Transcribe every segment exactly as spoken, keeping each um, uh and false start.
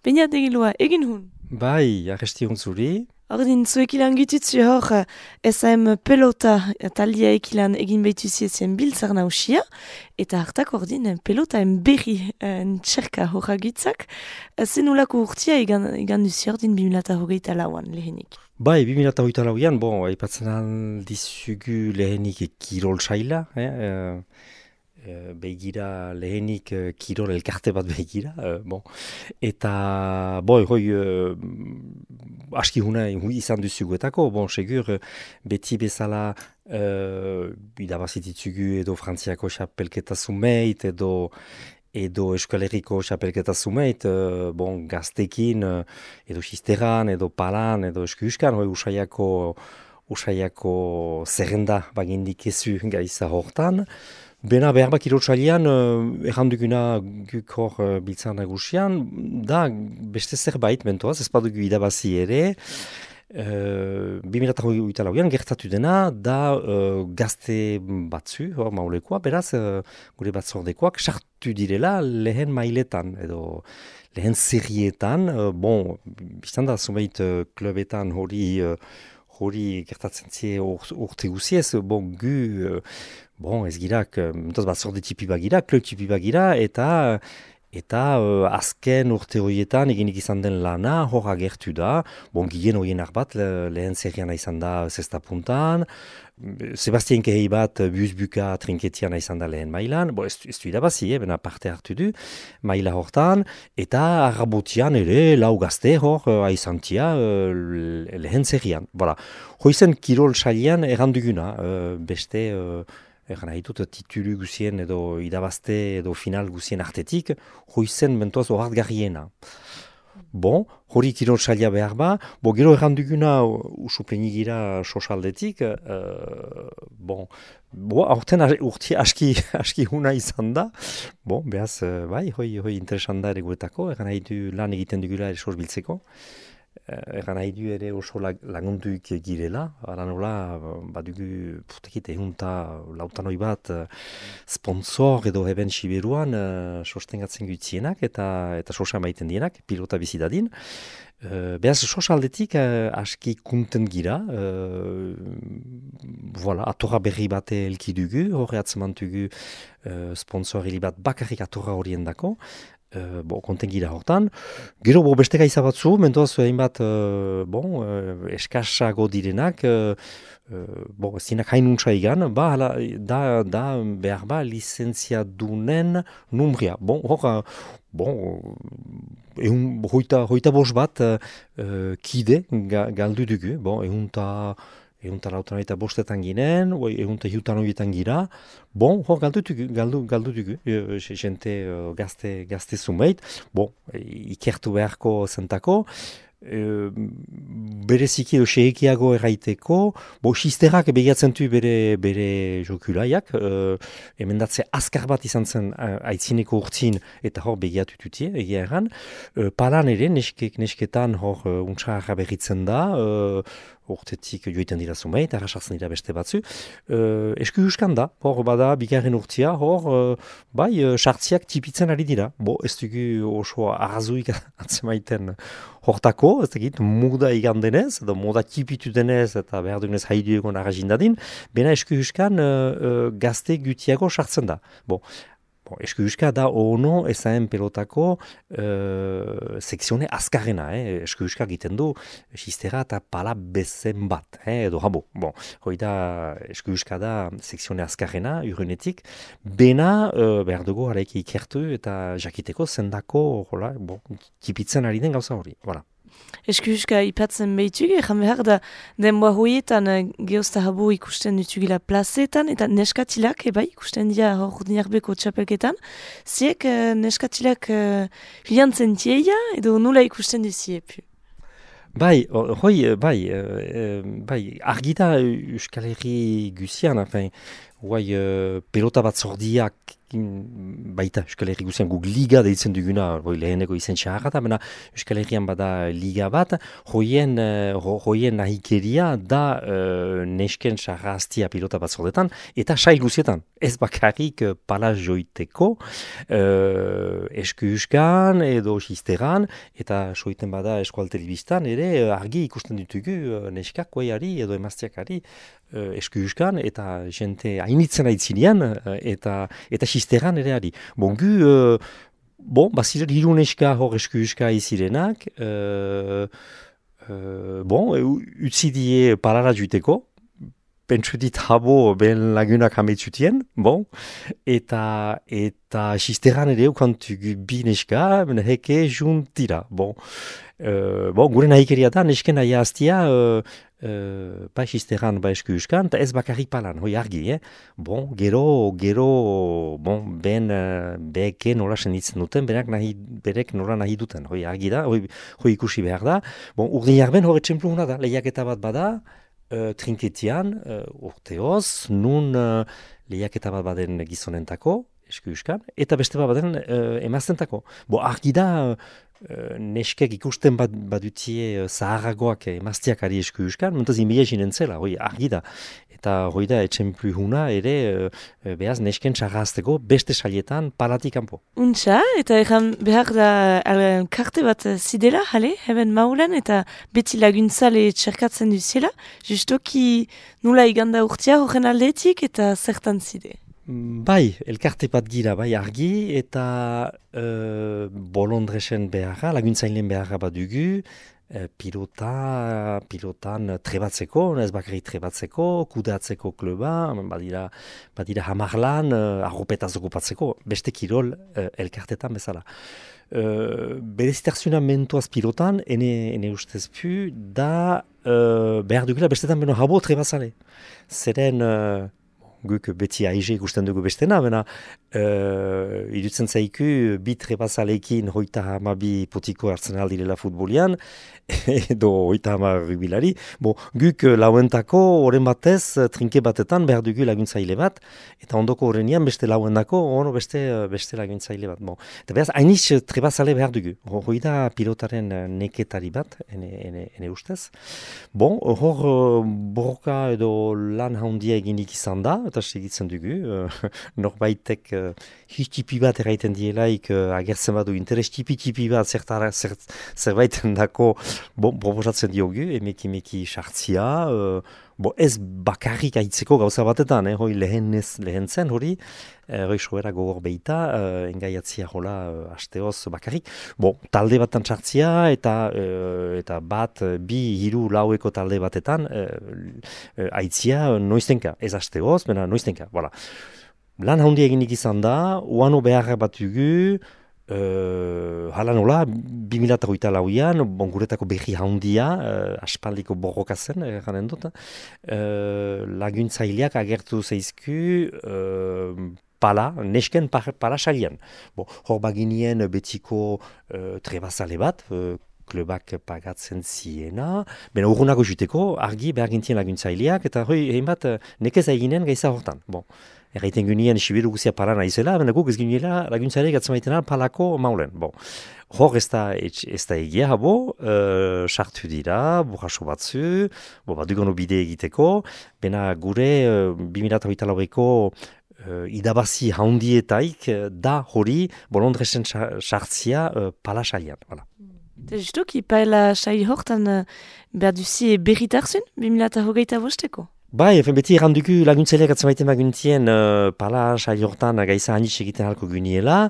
Baina degilua, egin hun. Bai, arresti zuri. Ordin, zuek ilan gitutzu hor, eh, S M pelota eh, taldia ekilan egin behituzi ezien biltzar nausia, eta hartak ordin eh, pelota en berri eh, txerka horra gitzak, eh, zenulako urtia egan, egan duzi ordin bimilata hogeita lauan lehenik. Bai, bi mila hogeita lauan, bon, aipatzen aldizugu lehenik kirol saila, eh, eh, eh, begira lehenik eh, kirol elkarte bat begira, eh, bon. Eta, boi, hoi, eh, aski huna hui izan duzuguetako, bon, segur, eh, beti bezala uh, idabazititzugu edo frantziako xapelketa zumeit, edo edo Euskal Herriko xapelketa zumeit, uh, bon, gaztekin, uh, edo xisteran, edo palan, edo eskuskan, hoi usaiako, usaiako zerrenda bagindik ezu gaiza hortan. Bena behar bak irotsalian, uh, erranduguna guk hor uh, biltzan nagusian, da beste zerbait mentoaz, ez badugu idabazi ere, Uh, bi mila hogeita lauan gertatu dena da uh, gazte batzu, hor maulekoa, beraz uh, gure batzordekoak sartu direla lehen mailetan edo lehen serietan, uh, bon, biztan da zumeit uh, klubetan hori uh, hori gertatzen zie ur, urte guziez, bon, gu, uh, bon, ez girak, uh, batzorde tipi bagira, klub tipi bagira, eta Eta uh, azken urte horietan eginik izan den lana hor agertu da. Bon, gien horienak bat le, lehen zerriana izan da zesta puntan. Sebastien Kehei bat buzbuka trinketiana izan da lehen mailan. Bo, ez, ez du idabazi, eh, bena parte hartu du maila hortan. Eta arrabotian ere lau gazte hor uh, aizantia uh, lehen zerrian. Voilà. Hoizen kirol salian erranduguna. Uh, beste... Uh, Egan haitut titulu guzien edo idabazte edo final guzien artetik, hoizen mentoaz horart garriena. Bon, hori kirol salia behar ba, bo gero erranduguna usuplenigira sosaldetik, uh, bon, bo, aurten urti aski, aski huna izan da, bon, behaz, uh, bai, hoi, hoi interesan da ere guetako, egan haitu lan egiten dugula ere sos biltzeko. Egan nahi du ere oso lagunduik girela, ara nola, badugu putekit ehunta lautanoi bat sponsor edo heben siberuan uh, sostengatzen gutzienak eta eta sosa maiten dienak, pilota bizidadin. Uh, Beaz, sosaldetik uh, aski kunten gira, uh, voilà, atorra berri bat elkidugu, horre atzemantugu uh, sponsor hili bat bakarrik atorra horien dako, Uh, bo, konten gira hortan. Gero, bo, beste gaiza batzu, mentoaz, hainbat, uh, bon, uh, eskasago direnak, uh, uh, bo, zinak hainuntza igan, ba, hala, da, da, behar ba, lizentziadunen numria. Bon, hor, uh, bon, ehun, hoita, hoita bos bat, uh, kide, ga, galdu dugu, bon, ehunta, ehunta lautan eta bostetan ginen, ehunta hiutan horietan gira, bon, hor galdu dugu, galdu, galdu dugu, e, jente uh, gazte, gazte zumeit, bon, ikertu beharko zentako, e, bereziki edo sehekiago erraiteko, bo, xisterak begiatzen du bere, bere jokulaiak, uh, emendatze azkar bat izan zen uh, aitzineko urtzin, eta hor begiatu tutie, egia erran, uh, palan ere, neskek, nesketan hor uh, untsa berritzen da, uh, urtetik joiten dira zumeit, arrasartzen dira beste batzu. Uh, esku huskan da, hor bada, bigarren urtia, hor, uh, bai, uh, sartziak tipitzen ari dira. Bo, ez dugu oso arrazuik atzemaiten hortako, ez dakit, moda igandenez, edo moda tipitu denez, eta behar dugunez haidu egon arrazindadin, bena esku huskan uh, uh, gazte gutiago sartzen da. Bo, Bon, esku huska da ono ezaen pelotako uh, sekzione azkarrena, eh? Esku huska egiten du xistera eta pala bezen bat, eh? Edo habo. Bon, hoi da esku huska da sekzione azkarrena, urrenetik, bena uh, behar dugu haraiki ikertu eta jakiteko zendako, hola, bon, tipitzen ari den gauza hori, voilà. Eskuska ipatzen behitugu, egan behar da denboa hoietan uh, geozta habo ikusten ditugila plazetan, eta neskatilak, eba ikusten dira hor dinarbeko txapelketan, ziek uh, neskatilak uh, filantzen tieia, edo nula ikusten duziepu. Bai, hoi, bai, uh, bai, argita Euskal Herri guzian, enfin, guai, uh, pelota bat zordiak baita Euskal Herri guzian guk liga deitzen duguna, hoi leheneko izen txarra da, baina Euskal Herrian bada liga bat, hoien, ho, hoien nahikeria da uh, nesken sarraztia pilota bat zordetan, eta sail guzietan, ez bakarrik uh, palaz joiteko, uh, esku euskan edo xisteran, eta soiten bada eskual telebistan, ere uh, argi ikusten ditugu uh, neskak koiari edo emaztiakari uh, esku euskan, eta jente hainitzen aitzinean, uh, eta eta xisteran ere ari. Bon, gu, uh, bon, baziren hiru neska hor esku euska izirenak, uh, uh, bon, utzi die parara juiteko, pentsu dit habo ben lagunak hametzutien, bon, eta eta xisteran ere ukantugu bi neska, ben heke juntira, bon. Uh, bon, gure nahikeria da, nesken nahi hastia, uh, Uh, ba xisteran, ba esku euskan, eta ez bakarrik palan, hoi argi, eh? Bon, gero, gero, bon, ben, uh, beke nola senditzen duten, berak nahi, berek nola nahi duten, hoi argi da, hoi, hoi ikusi behar da. Bon, urdin jarben hori txemplu hona da, lehiaketa bat bada, uh, trinketian, uh, urteoz, nun uh, lehiaketa bat baden gizonentako, esku euskan, eta beste bat baden uh, emaztentako. Bo, argi da, uh, Uh, neskek ikusten bat badutie uh, zaharragoak emaztiak ari esku euskan, mentaz inbila jinen zela, hoi argi da. Eta hoi da etxemplu huna ere uh, uh, behaz nesken txarrazteko beste saietan palatik kanpo. Untxa, eta egan behar da uh, karte bat zidela, jale, heben maulen, eta beti laguntzale txerkatzen duziela, justoki nula iganda urtia horren aldetik eta zertan zide. Bai, elkarte bat gira, bai argi, eta uh, bolondresen beharra, laguntzailen beharra bat dugu, uh, pilota, pilotan trebatzeko, ez bakarrik trebatzeko, kudeatzeko kluba, badira, badira hamarlan, uh, arropetaz okupatzeko, beste kirol uh, elkartetan bezala. Uh, Berezitarzuna mentuaz pilotan, ene, ene ustez pu, da uh, behar dugula bestetan beno habo trebazale. Zeren... Uh, guk beti aize ikusten dugu bestena, bena uh, irutzen zaiku bi trebazalekin hoita hamabi potiko hartzen aldirela futbolian, edo hoita hama rubilari. Bo, guk lauentako horren batez trinke batetan behar dugu laguntzaile bat, eta ondoko horrenian beste lauendako ono beste, beste laguntzaile bat. Bo, eta behaz, hainiz trebazale behar dugu. Hoi da pilotaren neketari bat, ene, ene, ene ustez. Bon, hor borroka edo lan handia eginik izan da, eta segitzen dugu, uh, norbaitek uh, histipi bat erraiten dielaik uh, agertzen badu interes tipi-tipi bat zertara, zert, zerbaiten dako bon, proposatzen diogu, emeki-meki sartzia, uh, bo ez bakarrik aitzeko gauza batetan, eh, hoi lehen, lehen zen hori, hoi soera gogor behita, uh, engaiatzia hola uh, hasteoz bakarrik, bo, talde batan sartzia eta uh, eta bat, bi, hiru, laueko talde batetan uh, uh, aitzia noiztenka, ez hasteoz, bena noiztenka, voilà. Lan handi eginik izan da, uano beharra bat dugu, Uh, hala nola, bi mila hogeita lauian, bon, guretako berri handia, uh, aspaldiko borroka zen, eranen dut, uh, laguntzaileak agertu zeizku uh, pala, nesken pala salian. Bon, hor baginien betiko uh, trebazale bat, uh, klubak pagatzen ziena, bena urrunako juteko, argi behar gintien laguntzaileak, eta hoi, egin bat, nekez eginen gaiza hortan. Bon. Erraiten gunien sibiru guzia pala naizela, bena guk ez gunela laguntzaileak atzamaitena palako maulen. Bon. Hor ez da, ez da egia habo, uh, sartu dira, burraso batzu, bo, bat dugono bide egiteko, bena gure uh, bi mila hogeita laueko uh, idabazi handietaik uh, da hori bolondresen sartzia uh, pala salian. Voilà. Eta justuki, paela sail hortan uh, behar duzi berritarzun, bi mila hogeita bosteko? Bai, efen beti errandugu laguntzaileak atzamaiten baguntien uh, pala sail hortan gaiza hanitz egiten halko guniela,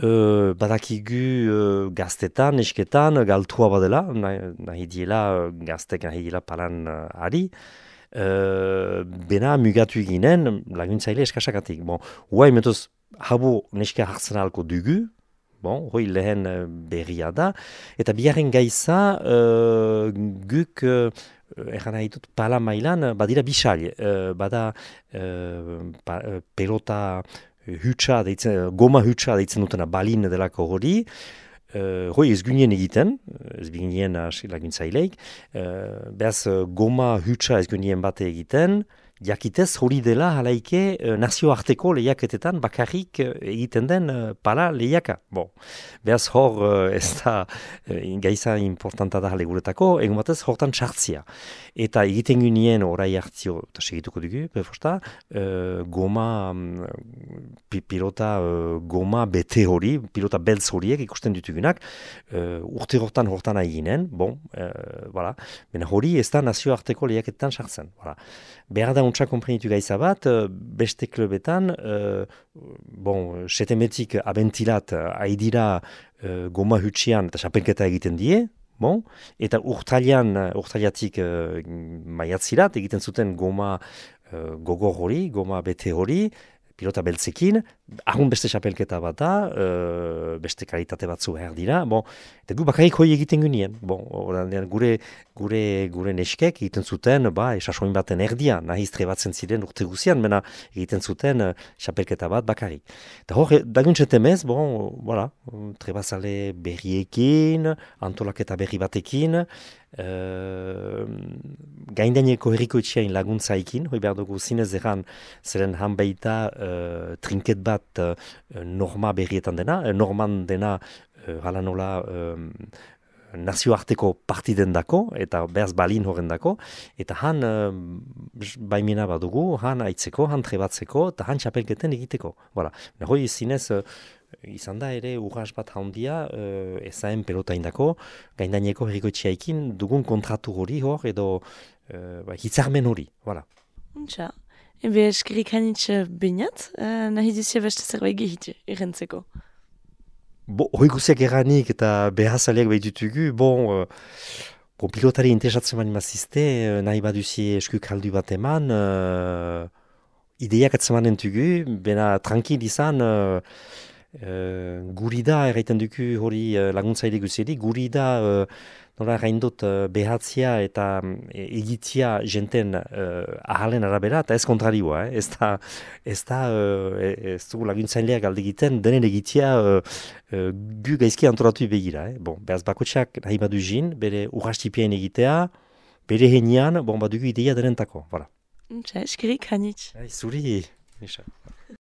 uh, badakigu uh, gaztetan, esketan, galtua badela, nahi, nahi diela gaztek nahi diela palan uh, ari, uh, bena mugatu eginen laguntzaile eskasakatik. Bon, huai mentuz, habo neska hartzen halko dugu, bon, hoi lehen uh, berria da, eta bigarren gaiza uh, guk... Uh, Egan nahi dut, pala mailan, badira bisal, uh, bada uh, pa, uh, pelota hutsa, deitzen, goma hutsa deitzen dutena balin delako hori, uh, hoi ez gunien egiten, ez gunien laguntzaileik, uh, behaz goma hutsa ez gunien bate egiten, jakitez hori dela halaike uh, nazioarteko lehiaketetan bakarrik uh, egiten den uh, pala lehiaka. Bon, behaz hor uh, ez da uh, gaiza importanta da guretako, egun batez hortan txartzia. Eta egiten gunien orai hartzio, eta segituko dugu, befosta, uh, goma, um, pilota uh, goma bete hori, pilota beltz horiek ikusten ditugunak, uh, urte hortan hortan eginen, bon, uh, voilà. Bena hori ez da nazioarteko lehiaketetan sartzen. Voilà. Behar da untsa komprenitu gaiza bat, uh, beste klubetan, uh, bon, setemetik abentilat haidira uh, goma hutsian eta xapelketa egiten die, bon, eta urtailan, urtailatik uh, maiatzirat egiten zuten goma uh, gogor hori, goma bete hori, pilota beltzekin, ahun beste xapelketa bat da, uh, beste kalitate batzu behar dira, bon, eta gu bakarrik hoi egiten gunien, bon, oranean gure, gure, gure neskek egiten zuten, ba, esasoin baten erdia, nahiz trebatzen ziren urte guzian, mena egiten zuten uh, xapelketa bat bakarrik. Eta hor, daguntzetemez, bon, voilà, trebazale berriekin, antolaketa berri batekin, Uh, gaindaineko herriko etxeain laguntzaikin, hoi behar dugu zinez egan zeren han baita uh, trinket bat uh, norma berrietan dena, uh, norman dena uh, hala nola uh, nazioarteko partiden dako, eta behaz balin horren dako, eta han uh, baimena badugu, han aitzeko, han trebatzeko, eta han txapelketen egiteko. Voilà. Hoi zinez, uh, izan da ere urras bat handia uh, ezaen pelota indako, gaindaineko herriko etxeaikin dugun kontratu hori hor, edo uh, ba, hitzarmen hori. Voilà. Untxa. Ebe eskerik hanitz bainat, uh, nahi duzia beste zerbait gehitu, errentzeko. Bo, hoi guziak eranik eta behazaleak behitutugu, bon, uh, bon, pilotari interesatzen mani mazizte, uh, nahi baduzi eskuk haldu bat eman, uh, ideiak atzemanen tugu, bena tranquil izan, uh, Uh, guri da, erraiten duku hori uh, laguntzaile guzeri, guri da uh, nola erraindot uh, behatzia eta um, egitzia jenten uh, ahalen arabera, eta ez kontrarioa, eh? ez da, ez da, uh, ez dugu laguntzaileak alde egiten, denen egitzia uh, uh, gu gaizki antolatu begira. Eh? Bon, behaz bakotxak nahi badu jin, bere urrastipien egitea, bere henian, bon, badugu ideia denentako, voilà. Eskerik hanitz. Zuri, Misha.